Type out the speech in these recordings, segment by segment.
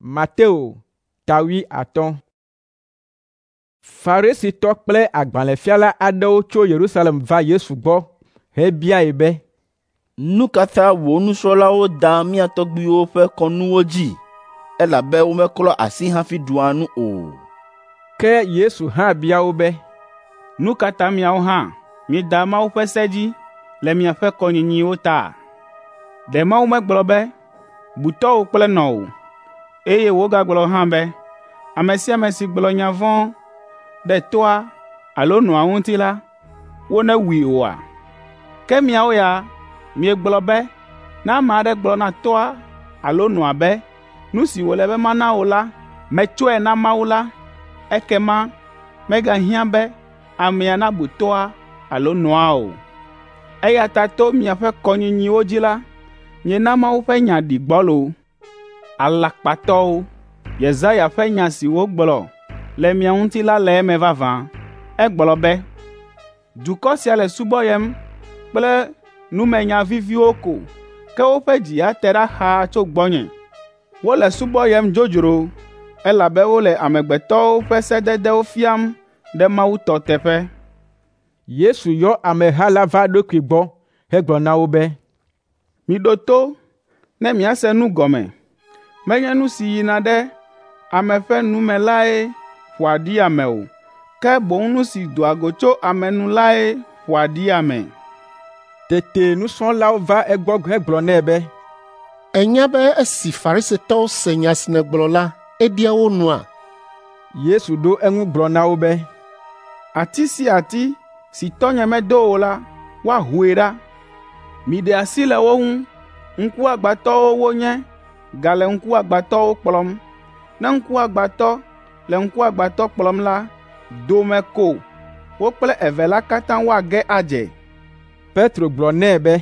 Mateo ta 50. Farisitɔ kple agbalẽfiala aɖewo tso Yerusalem va Yesu gbɔ hebiae be, Nu ka ta wò nusrɔ̃lawo daa mía tɔgbuiwo ƒe kɔnuwo dzi, elabe womeklɔa asi hafi ɖua nu o?” Ke Yesu hã bia wo be, Nu ka ta miawo hã mieda Mawu ƒe se dzi le miaƒe kɔnyinyiwo ta? Ɖe Mawu megblɔ be, ‘Bu tɔ́wò kple nɔwò,’ eye wògagblɔ hã be, ‘Ame sia ame si gblɔ nya vɔ̃ ɖe tɔ́a alo nɔa ŋuti la, wonewui oa? Ke miawo ya miegblɔ be ne ame aɖe gblɔ na tɔ́a alo nɔa be, ‘Nu si wòle be mana wò la, metsɔe na Mawu la,’ ekema megahiã be amea nabu tɔ́a alo nɔa o. Eya ta to miaƒe kɔnyinyiwo dzi la, miena Mawu ƒe nya ɖi gbɔlo. Alakpatɔwo! Yesaya ƒe nya si wògblɔ le mia ŋuti la le eme vavã. Egblɔ be, ‘Dukɔ sia le subɔyem kple numenya viviwo ko, ke woƒe dzi ya te ɖa xaa tso gbɔnye. Wole subɔyem dzodzro, elabe wole amegbetɔwo ƒe sededewo fiam ɖe Mawu tɔ teƒe.’ ” Yesu yɔ ameha la va eɖokui gbɔ hegblɔ na wo be, “Miɖo to ne miase nu gɔme. Menye nu si yina ɖe ame ƒe nu me lae ƒoa ɖi ame o, ke boŋ nu si doa go tso ame nu lae ƒoa ɖi ame.” Tete nusrɔ̃lawo va egbɔ hegblɔ nɛ be, “Ènya be esi Farisitɔwo se nya si nègblɔ la, eɖia wo nua?” Yesu ɖo eŋu gblɔ na wo be, “Ati sia ati si tɔnye medo o la, woahoe ɖa. Miɖe asi le wo ŋu. Ŋkuagbãtɔwo wonye gale ŋkuagbãtɔwo kplɔm. Ne ŋkuagbãtɔ le ŋkuagbãtɔ kplɔm la, dome ko wo kple eve la katã woage adze.” Petro gblɔ nɛ be,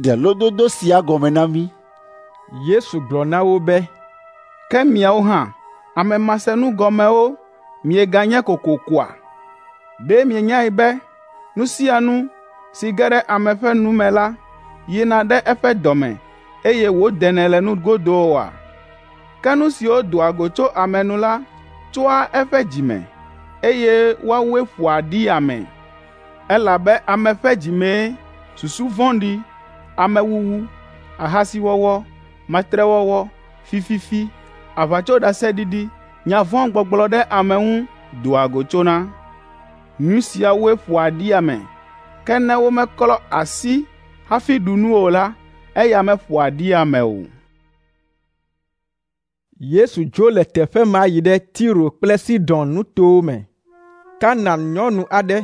“Ɖe lododo sia gɔme na mí.” Yesu gblɔ na wo be, “Ke miawo hã, ame masenugɔmewo mieganye kokokoa? Ɖe mienyae be nu sia nu si ge ɖe ame ƒe nu me la yina ɖe eƒe dɔ me, eye wòdenɛ le nugodo oa? Ke nu siwo doa go tso ame nu la tsoa eƒe dzi me, eye woawoe ƒoa ɖi ame. Elabe ame ƒe dzi mee susu vɔ̃ɖi, amewuwu, ahasiwɔwɔ, matrewɔwɔ, fififi, aʋatsoɖaseɖiɖi, nya vɔ̃ gbɔgblɔ ɖe ame ŋu doa go tsona. Nu siawoe ƒoa ɖi ame, ke ne womeklɔ asi hafi ɖu nu o la, eya meƒoa ɖi ame o.” Yesu dzo le teƒe ma yi ɖe Tiro kple Sidon nutowo me. Kanaan nyɔnu aɖe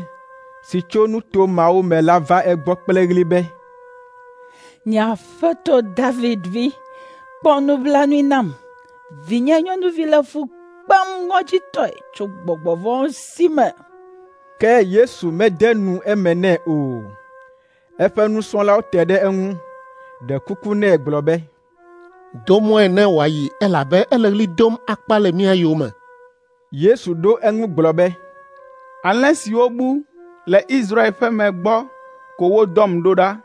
si tso nuto mawo me la va egbɔ kple ɣli be, “Nye aƒetɔ David vi, kpɔ nublanui nam. Vinye nyɔnuvi le fu kpem ŋɔdzitɔe tso gbɔgbɔ vɔ̃wo si me.” Ke Yesu mede nu eme nɛ o. Eƒe nusrɔ̃lawo te ɖe eŋu, ɖe kuku nɛ gblɔ be, “Do mɔe ne wòayi elabe ele ɣli dom akpa le mía yome.” Yesu ɖo eŋu gblɔ be, “Alẽ siwo bu le Israel ƒe me gbɔ ko wodɔm ɖo ɖa.”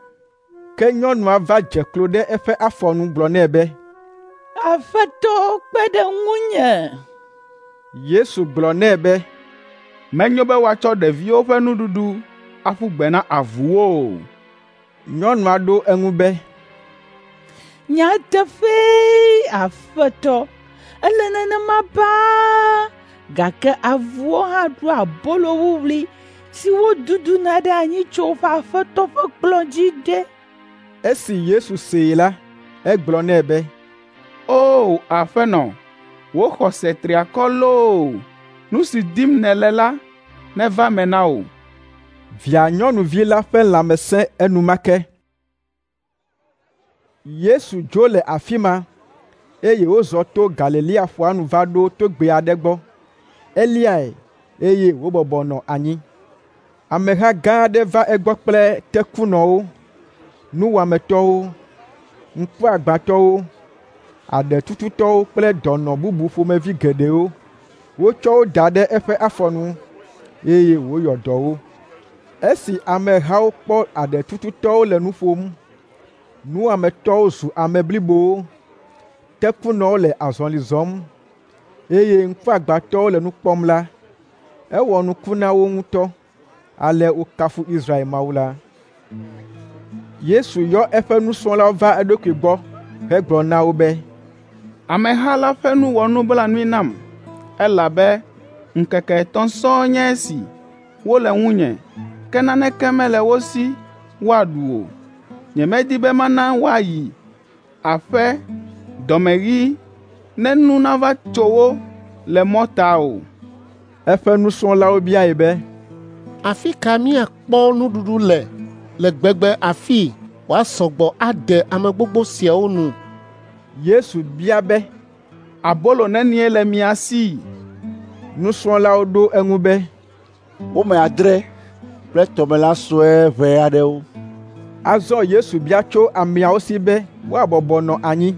Ke nyɔnua va dze klo ɖe eƒe afɔ nu gblɔ nɛ be, “Aƒetɔ, kpe ɖe ŋunye.” Yesu gblɔ nɛ be, “Menyo be woatsɔ ɖeviwo ƒe nuɖuɖu aƒu gbe na avuwo o.” Nyɔnua ɖo eŋu be, “Nyateƒee, Aƒetɔ, ele nenema baa, gake avuwo hã ɖua abolo wuwlui si woduduna ɖe anyi tso woƒe aƒetɔ ƒe kplɔ̃ dzi ɖe.” Esi Yesu see la, egblɔ nɛ be, “O Aƒenɔ, wò xɔse tri akɔ loo! Nu si dim nèle la neva eme na wò.” Via nyɔnuvi la ƒe lãme sẽ enumake. Yesu dzo le afi ma, eye wòzɔ to Galilea ƒua nu va ɖo togbɛ aɖe gbɔ. Eliae, eye wòbɔbɔ nɔ anyi. Ameha gã aɖe va egbɔ kple tekunɔwo, nuwɔametɔwo, ŋkuagbãtɔwo, aɖetututɔwo kple dɔnɔ bubu ƒomevi geɖewo. Wotsɔ wo da ɖe eƒe afɔ nu, eye wòyɔ dɔ wo. Esi amehawo kpɔ aɖetututɔwo le nu ƒom, nuwɔametɔwo zu ame blibowo, tekunɔwo le azɔli zɔm, eye ŋkuagbãtɔwo le nu kpɔm la, ewɔ nuku na wo ŋutɔ. Ale wokafu Israel Mawu la. Yesu yɔ eƒe nusrɔ̃lawo va eɖokui gbɔ hegblɔ na wo be, Ameha la ƒe nu wɔ nublanui nam, elabe ŋkeke etɔ̃ sɔŋ nye esi wole ŋunye, ke naneke mele wo si woaɖu o. Nyemedi be mana woayi aƒe dɔmeɣii ne nu nava tso wo le mɔta o.” Eƒe nusrɔ̃lawo biae be, “Afi ka míakpɔ nuɖuɖu le le gbegbe afii wòasɔ gbɔ ade ame gbogbo siawo nu?” Yesu bia be, “Abolo nenie le mia si?” Nusrɔ̃lawo ɖo eŋu be, Wome adre kple tɔmelã sue ʋɛ aɖewo.” Azɔ Yesu bia tso ameawo si be woabɔbɔ nɔ anyi.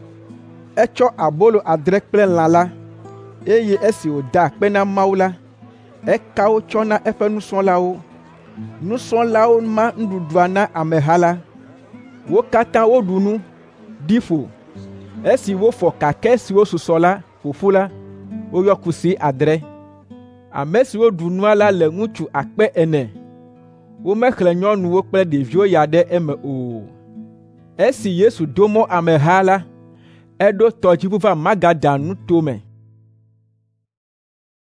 Etsɔ abolo adre kple lã la, eye esi wòda akpe na Mawu la, eka wo tsɔ na eƒe nusrɔ̃lawo. Nusrɔ̃lawo ma nuɖuɖua na ameha la. Wo katã woɖu nu, ɖi ƒo. Esi wofɔ kakɛ siwo susɔ la ƒo ƒu la, woyɔ kusi adre. Ame siwo ɖu nua la le ŋutsu 4000. Womexlẽ nyɔnuwo kple ɖeviwo ya ɖe eme o. Esi Yesu do mɔ ameha la, eɖo tɔdziʋu va Magadan nuto me.